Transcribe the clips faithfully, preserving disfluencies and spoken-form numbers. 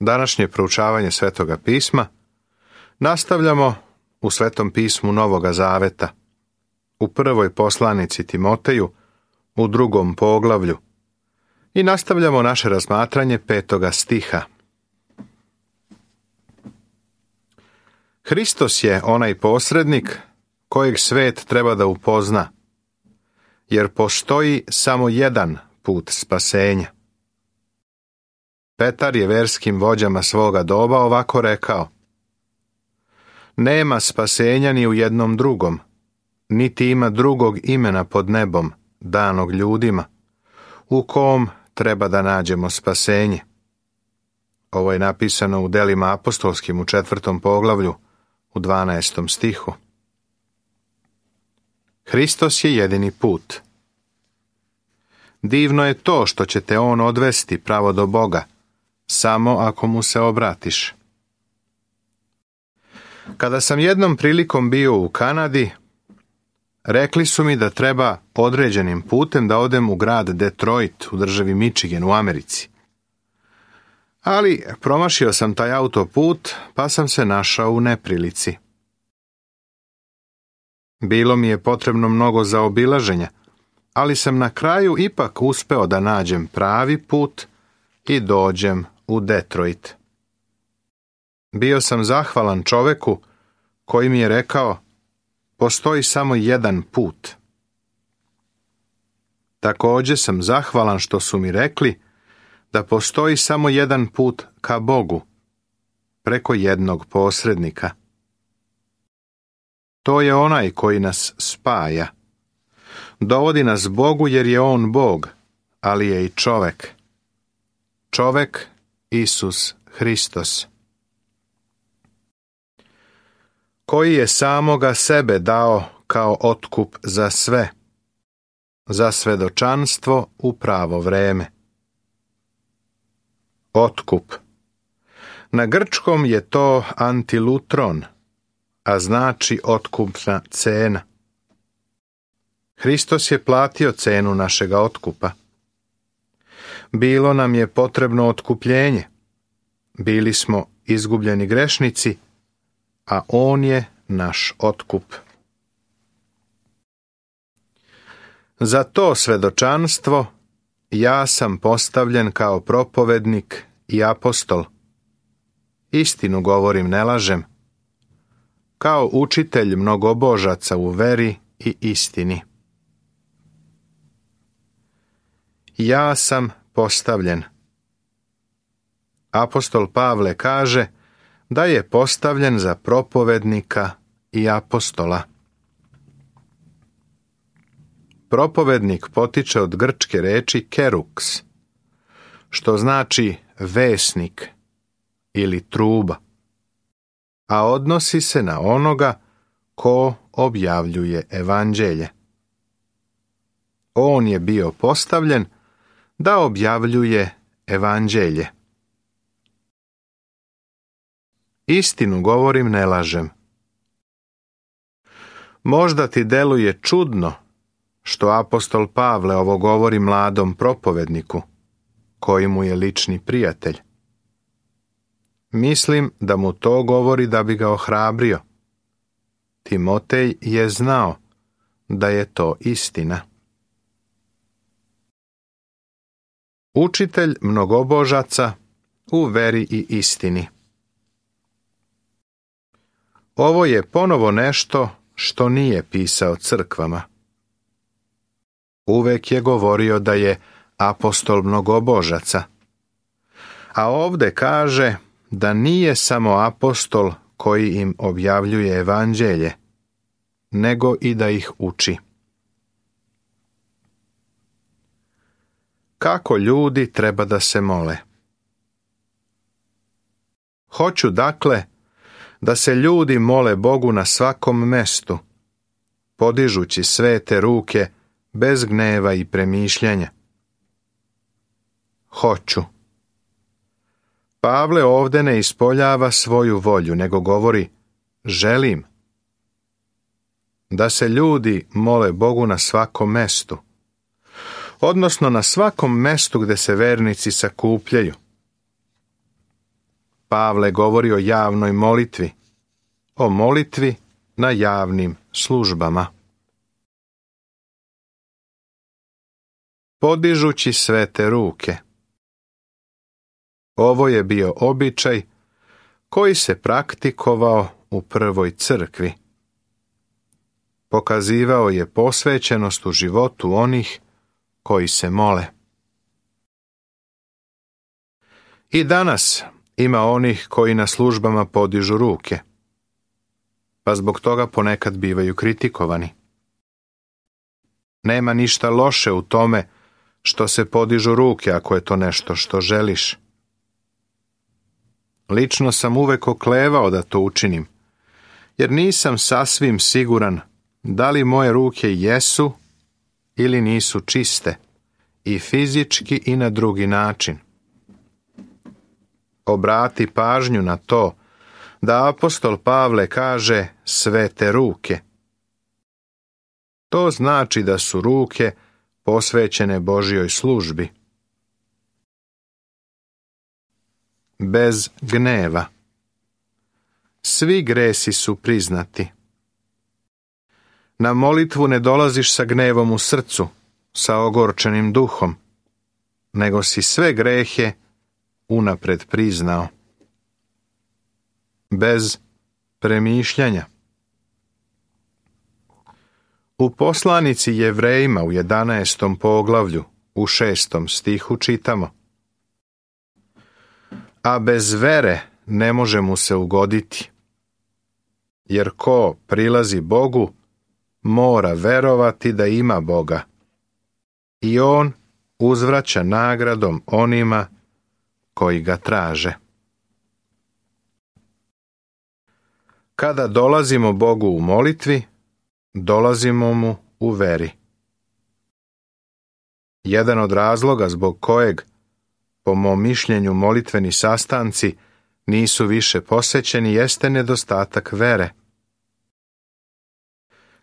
Današnje proučavanje Svetoga pisma nastavljamo u Svetom pismu Novoga Zaveta, u prvoj poslanici Timoteju, u drugom poglavlju, i nastavljamo naše razmatranje petoga stiha. Hristos je onaj posrednik kojeg svet treba da upozna, jer postoji samo jedan put spasenja. Petar je verskim vođama svoga doba ovako rekao: nema spasenja ni u jednom drugom, niti ima drugog imena pod nebom, danog ljudima, u kom treba da nađemo spasenje. Ovo je napisano u Delima apostolskim u četvrtom poglavlju, u dvanaestom stihu. Hristos je jedini put. Divno je to što će te on odvesti pravo do Boga, samo ako mu se obratiš. Kada sam jednom prilikom bio u Kanadi, rekli su mi da treba određenim putem da odem u grad Detroit u državi Michigan u Americi. Ali promašio sam taj autoput, pa sam se našao u neprilici. Bilo mi je potrebno mnogo zaobilaženja, ali sam na kraju ipak uspeo da nađem pravi put i dođem u Detroit. Bio sam zahvalan čoveku koji mi je rekao: postoji samo jedan put. Također sam zahvalan što su mi rekli da postoji samo jedan put ka Bogu, preko jednog posrednika. To je onaj koji nas spaja. Dovodi nas Bogu jer je on Bog, ali je i čovek. Čovek Isus Hristos, koji je samoga sebe dao kao otkup za sve, za svedočanstvo u pravo vreme. Otkup. Na grčkom je to antilutron, a znači otkupna cena. Hristos je platio cenu našega otkupa. Bilo nam je potrebno otkupljenje. Bili smo izgubljeni grešnici, a on je naš otkup. Za to svedočanstvo ja sam postavljen kao propovednik i apostol. Istinu govorim, ne lažem, kao učitelj mnogobožaca u veri i istini. Ja sam postavljen. Apostol Pavle kaže da je postavljen za propovednika i apostola. Propovednik potiče od grčke reči keruks, što znači vesnik ili truba, a odnosi se na onoga ko objavljuje evanđelje. On je bio postavljen da objavljuje evanđelje. Istinu govorim, ne lažem. Možda ti deluje čudno što apostol Pavle ovo govori mladom propovedniku, koji mu je lični prijatelj. Mislim da mu to govori da bi ga ohrabrio. Timotej je znao da je to istina. Učitelj mnogobožaca u veri i istini. Ovo je ponovo nešto što nije pisao crkvama. Uvek je govorio da je apostol mnogobožaca, a ovde kaže da nije samo apostol koji im objavljuje evanđelje, nego i da ih uči. Kako ljudi treba da se mole? Hoću dakle da se ljudi mole Bogu na svakom mestu, podižući svete ruke bez gneva i premišljanja. Hoću. Pavle ovde ne ispoljava svoju volju, nego govori želim. Da se ljudi mole Bogu na svakom mestu, odnosno na svakom mestu gde se vernici sakupljaju. Pavle govori o javnoj molitvi, o molitvi na javnim službama. Podižući svete ruke. Ovo je bio običaj koji se praktikovao u prvoj crkvi. Pokazivao je posvećenost u životu onih koji se mole. I danas ima onih koji na službama podižu ruke, pa zbog toga ponekad bivaju kritikovani. Nema ništa loše u tome što se podižu ruke ako je to nešto što želiš. Lično sam uvek oklevao da to učinim, jer nisam sasvim siguran da li moje ruke jesu ili nisu čiste, i fizički i na drugi način. Obrati pažnju na to da apostol Pavle kaže svete ruke. To znači da su ruke posvećene Božjoj službi. Bez gneva. Svi gresi su priznati. Na molitvu ne dolaziš sa gnevom u srcu, sa ogorčenim duhom, nego si sve grehe unapred priznao. Bez premišljanja. U poslanici Jevrejima u jedanaestom poglavlju, u šestom stihu čitamo: a bez vere ne može mu se ugoditi, jer ko prilazi Bogu, mora verovati da ima Boga, i on uzvraća nagradom onima koji ga traže. Kada dolazimo Bogu u molitvi, dolazimo mu u veri. Jedan od razloga zbog kojeg, po mom mišljenju, molitveni sastanci nisu više posećeni jeste nedostatak vere.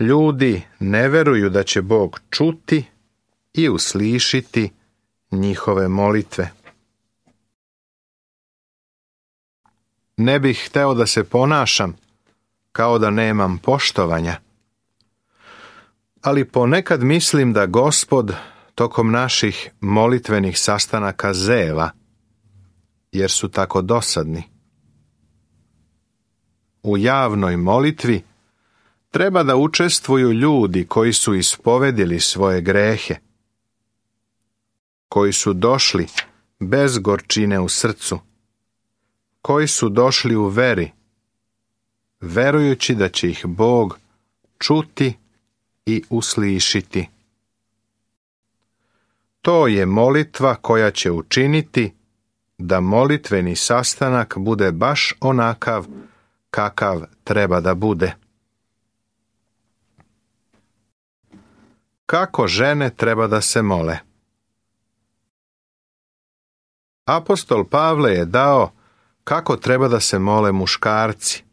Ljudi ne veruju da će Bog čuti i uslišiti njihove molitve. Ne bih hteo da se ponašam kao da nemam poštovanja, ali ponekad mislim da Gospod tokom naših molitvenih sastanaka zeva, jer su tako dosadni. U javnoj molitvi treba da učestvuju ljudi koji su ispovedili svoje grehe, koji su došli bez gorčine u srcu, koji su došli u veri, verujući da će ih Bog čuti i uslišiti. To je molitva koja će učiniti da molitveni sastanak bude baš onakav kakav treba da bude. Kako žene treba da se mole? Apostol Pavle je dao kako treba da se mole muškarci,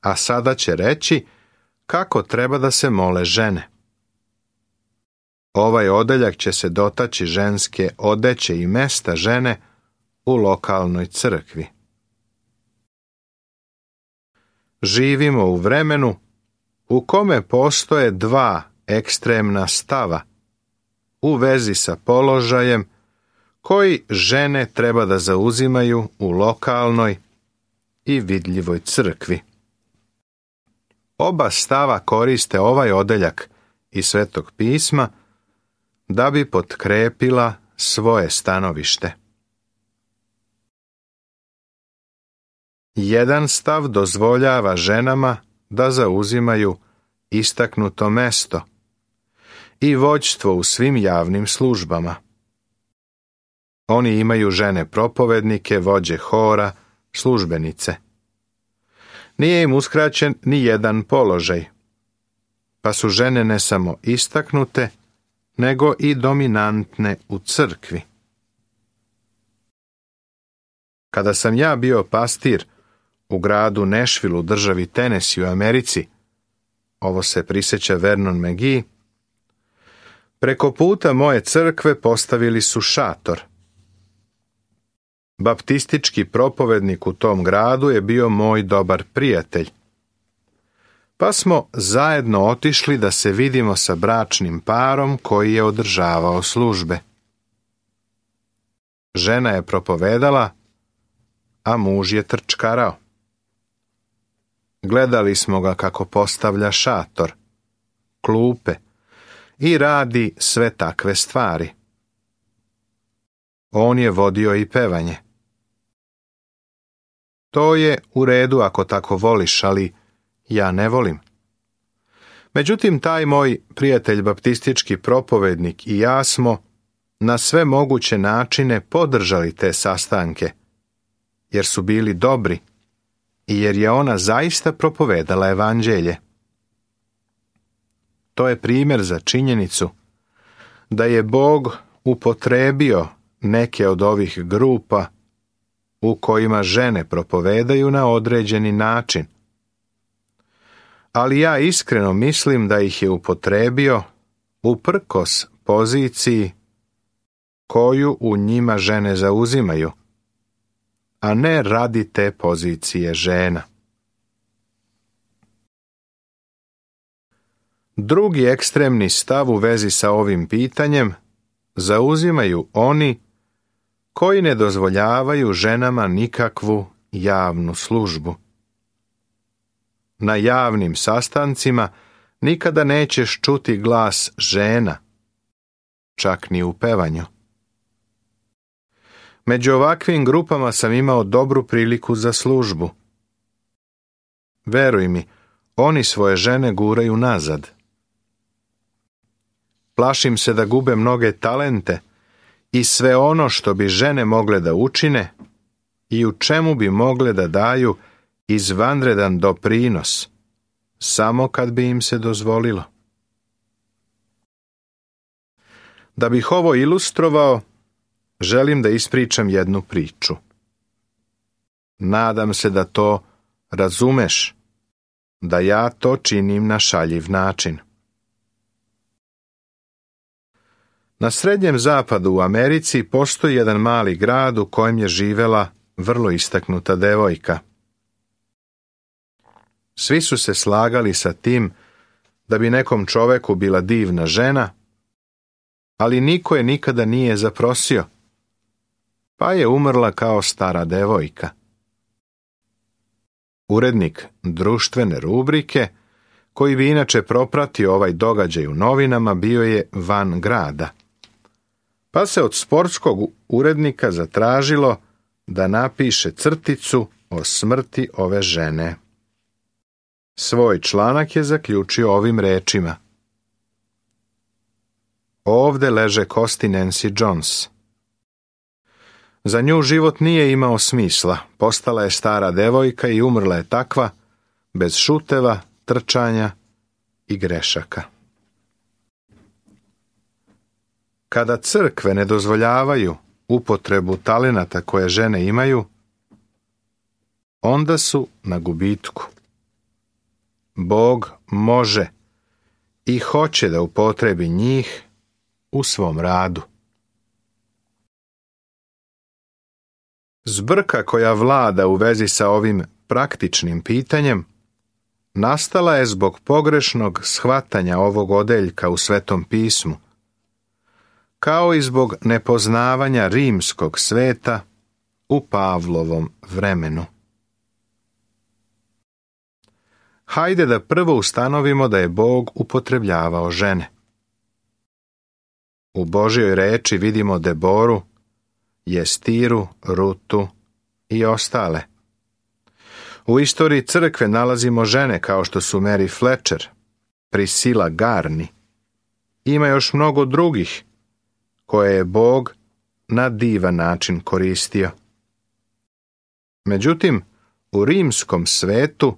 a sada će reći kako treba da se mole žene. Ovaj odeljak će se dotaći ženske odeće i mesta žene u lokalnoj crkvi. Živimo u vremenu u kome postoje dva ekstremna stava u vezi sa položajem koji žene treba da zauzimaju u lokalnoj i vidljivoj crkvi. Oba stava koriste ovaj odeljak iz Svetog pisma da bi potkrepila svoje stanovište. Jedan stav dozvoljava ženama da zauzimaju istaknuto mesto i vođstvo u svim javnim službama. Oni imaju žene propovednike, vođe hora, službenice. Nije im uskraćen ni jedan položaj, pa su žene ne samo istaknute, nego i dominantne u crkvi. Kada sam ja bio pastir u gradu Nashville u državi Tennessee u Americi, ovo se prisjeća Vernon McGee, preko puta moje crkve postavili su šator. Baptistički propovednik u tom gradu je bio moj dobar prijatelj. Pa smo zajedno otišli da se vidimo sa bračnim parom koji je održavao službe. Žena je propovedala, a muž je trčkarao. Gledali smo ga kako postavlja šator, klupe i radi sve takve stvari. On je vodio i pevanje. To je u redu ako tako voliš, ali ja ne volim. Međutim, taj moj prijatelj baptistički propovednik i ja smo na sve moguće načine podržali te sastanke, jer su bili dobri i jer je ona zaista propovedala evanđelje. To je primjer za činjenicu da je Bog upotrebio neke od ovih grupa u kojima žene propovedaju na određeni način. Ali ja iskreno mislim da ih je upotrebio uprkos poziciji koju u njima žene zauzimaju, a ne radi te pozicije žena. Drugi ekstremni stav u vezi sa ovim pitanjem zauzimaju oni koji ne dozvoljavaju ženama nikakvu javnu službu. Na javnim sastancima nikada nećeš čuti glas žena, čak ni u pevanju. Među ovakvim grupama sam imao dobru priliku za službu. Veruj mi, oni svoje žene guraju nazad. Plašim se da gube mnoge talente i sve ono što bi žene mogle da učine i u čemu bi mogle da daju izvanredan doprinos, samo kad bi im se dozvolilo. Da bih ovo ilustrovao, želim da ispričam jednu priču. Nadam se da to razumeš, da ja to činim na šaljiv način. Na Srednjem zapadu u Americi postoji jedan mali grad u kojem je živela vrlo istaknuta devojka. Svi su se slagali sa tim da bi nekom čoveku bila divna žena, ali niko je nikada nije zaprosio, pa je umrla kao stara devojka. Urednik društvene rubrike, koji bi inače propratio ovaj događaj u novinama, bio je van grada. Pa se od sportskog urednika zatražilo da napiše crticu o smrti ove žene. Svoj članak je zaključio ovim rečima: Ovde leže kosti Nancy Jones. Za nju život nije imao smisla, postala je stara devojka i umrla je takva, bez šuteva, trčanja i grešaka. Kada crkve ne dozvoljavaju upotrebu talenata koje žene imaju, onda su na gubitku. Bog može i hoće da upotrebi njih u svom radu. Zbrka koja vlada u vezi sa ovim praktičnim pitanjem nastala je zbog pogrešnog shvatanja ovog odeljka u Svetom pismu, kao i zbog nepoznavanja rimskog sveta u Pavlovom vremenu. Hajde da prvo ustanovimo da je Bog upotrebljavao žene. U Božjoj reči vidimo Deboru, Jestiru, Rutu i ostale. U istoriji crkve nalazimo žene kao što su Mary Fletcher, Priscilla Garni. Ima još mnogo drugih koje je Bog na divan način koristio. Međutim, u rimskom svetu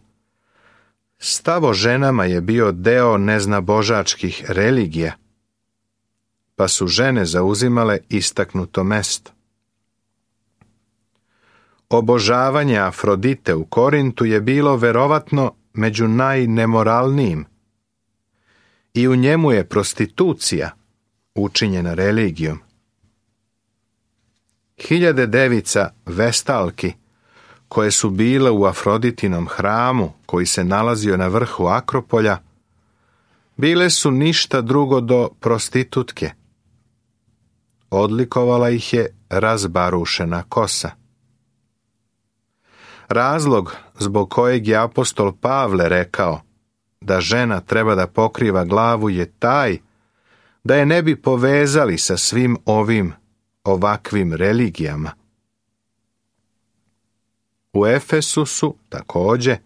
stav o ženama je bio deo neznabožačkih religija, pa su žene zauzimale istaknuto mesto. Obožavanje Afrodite u Korintu je bilo verovatno među najnemoralnijim i u njemu je prostitucija učinjena religijom. Hiljade devica vestalki, koje su bile u Afroditinom hramu, koji se nalazio na vrhu Akropolja, bile su ništa drugo do prostitutke. Odlikovala ih je razbarušena kosa. Razlog zbog kojeg je apostol Pavle rekao da žena treba da pokriva glavu je taj da je ne bi povezali sa svim ovim ovakvim religijama. U Efesu su, također,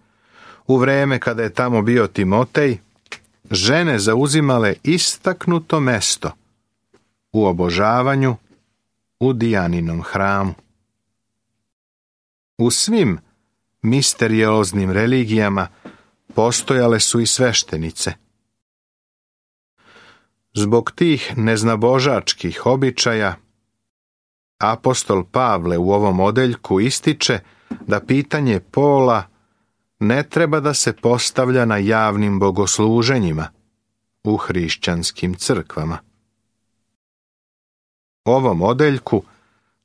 u vreme kada je tamo bio Timotej, žene zauzimale istaknuto mesto u obožavanju u Dijaninom hramu. U svim misterioznim religijama postojale su i sveštenice. Zbog tih neznabožačkih običaja, apostol Pavle u ovom odeljku ističe da pitanje pola ne treba da se postavlja na javnim bogosluženjima u hrišćanskim crkvama. Ovom odeljku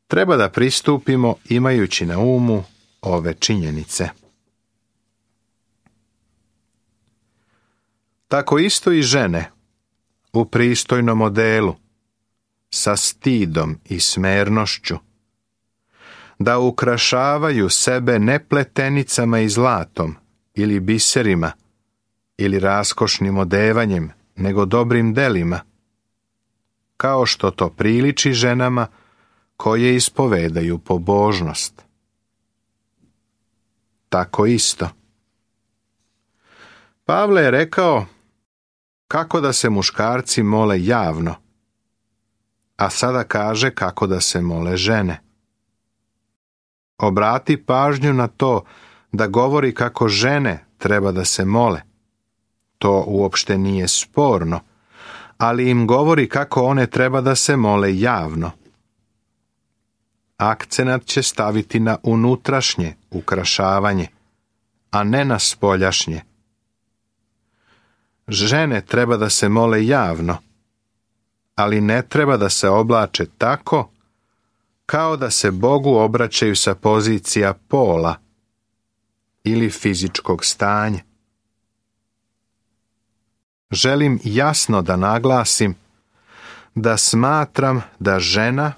treba da pristupimo imajući na umu ove činjenice. Tako isto i žene u pristojnom modelu, sa stidom i smernošću, da ukrašavaju sebe ne pletenicama i zlatom ili biserima ili raskošnim odevanjem, nego dobrim delima, kao što to priliči ženama koje ispovedaju pobožnost. Tako isto. Pavle je rekao kako da se muškarci mole javno, a sada kaže kako da se mole žene. Obrati pažnju na to da govori kako žene treba da se mole. To uopšte nije sporno, ali im govori kako one treba da se mole javno. Akcenat će staviti na unutrašnje ukrašavanje, a ne na spoljašnje. Žene treba da se mole javno, ali ne treba da se oblače tako kao da se Bogu obraćaju sa pozicija pola ili fizičkog stanja. Želim jasno da naglasim da smatram da žena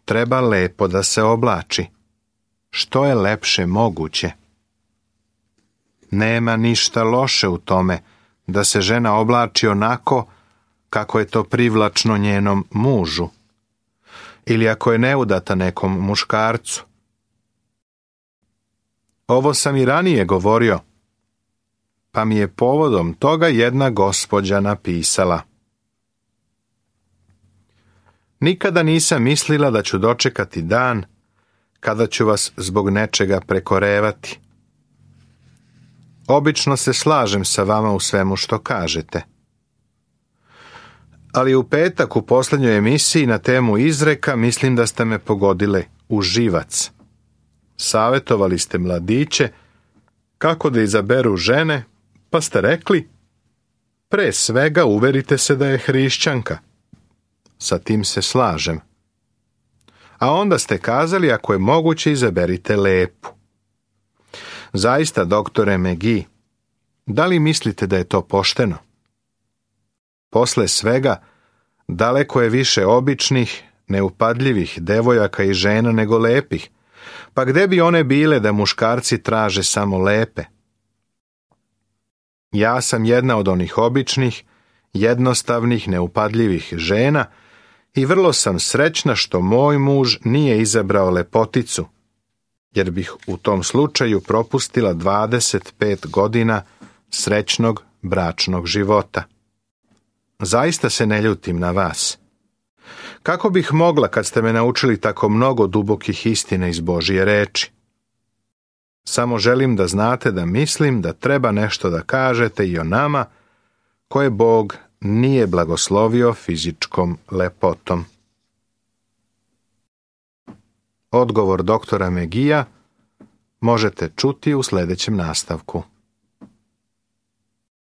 treba lepo da se oblači, što je lepše moguće. Nema ništa loše u tome da se žena oblači onako kako je to privlačno njenom mužu, ili ako je neudata nekom muškarcu. Ovo sam i ranije govorio, pa mi je povodom toga jedna gospođa napisala: nikada nisam mislila da ću dočekati dan kada ću vas zbog nečega prekorevati. Obično se slažem sa vama u svemu što kažete. Ali u petak u posljednjoj emisiji na temu izreka mislim da ste me pogodile u živac. Savjetovali ste mladiće kako da izaberu žene, pa ste rekli: pre svega uverite se da je hrišćanka. Sa tim se slažem. A onda ste kazali ako je moguće izaberite lepu. Zaista, doktore McGee, da li mislite da je to pošteno? Posle svega, daleko je više običnih, neupadljivih devojaka i žena nego lepih, pa gde bi one bile da muškarci traže samo lepe? Ja sam jedna od onih običnih, jednostavnih, neupadljivih žena i vrlo sam srećna što moj muž nije izabrao lepoticu, jer bih u tom slučaju propustila dvadeset pet godina srećnog bračnog života. Zaista se ne ljutim na vas. Kako bih mogla kad ste me naučili tako mnogo dubokih istina iz Božje reči? Samo želim da znate da mislim da treba nešto da kažete i o nama koje Bog nije blagoslovio fizičkom lepotom. Odgovor doktora McGee možete čuti u sljedećem nastavku.